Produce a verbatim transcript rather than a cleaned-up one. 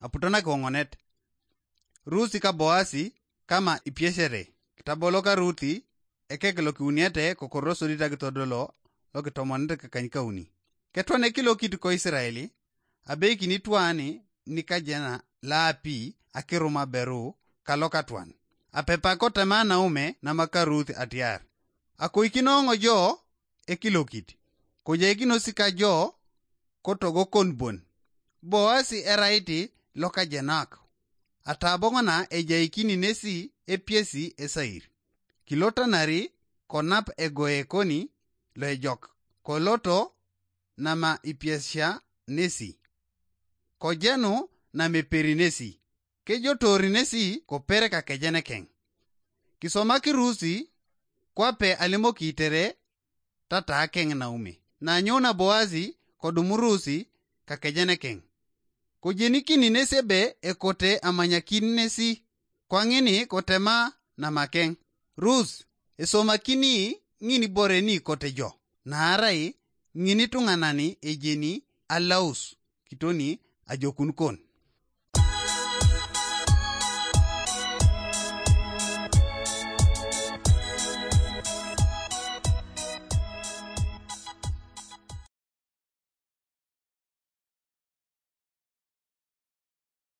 Aputonak oŋonet. Rusi ka Boasi kama ipiesere. Kitabo loka Ruti ekek lokiuniete kokoro sodit akitodolo lokitomonete kakanykauni. Ketwan ekilokit ko Israeli, abeikini twani nikajena laapi akiruma beru kalokatwan. Apepa kotema Naume namaka Ruth atiar, akoikinoŋo jo ekilokit, kojaikinosi ka jo kotogokon bon. Boasi eraiti lokajenak, ataboŋona ejaikini nesi epiesi esair. Kilotanari konap egoe koni loejok, koloto nama ipiesia nesi, kojenu nameperi nesi, kejotori nesi kopere kakejenekeŋ. Kisomaki Rusi kwape alimoki tere tatakeŋ Naume. Nanyouna Boasi kodumurusi kakejenekeŋ, kojenikini nesi ebe ekote amanyakin nesi, kwaŋini kotema namakeŋ. Rus, esomakini ŋin ibore ni kote jo, naarai ŋin ituŋanan ejeni alaus kitoni ajokun kon.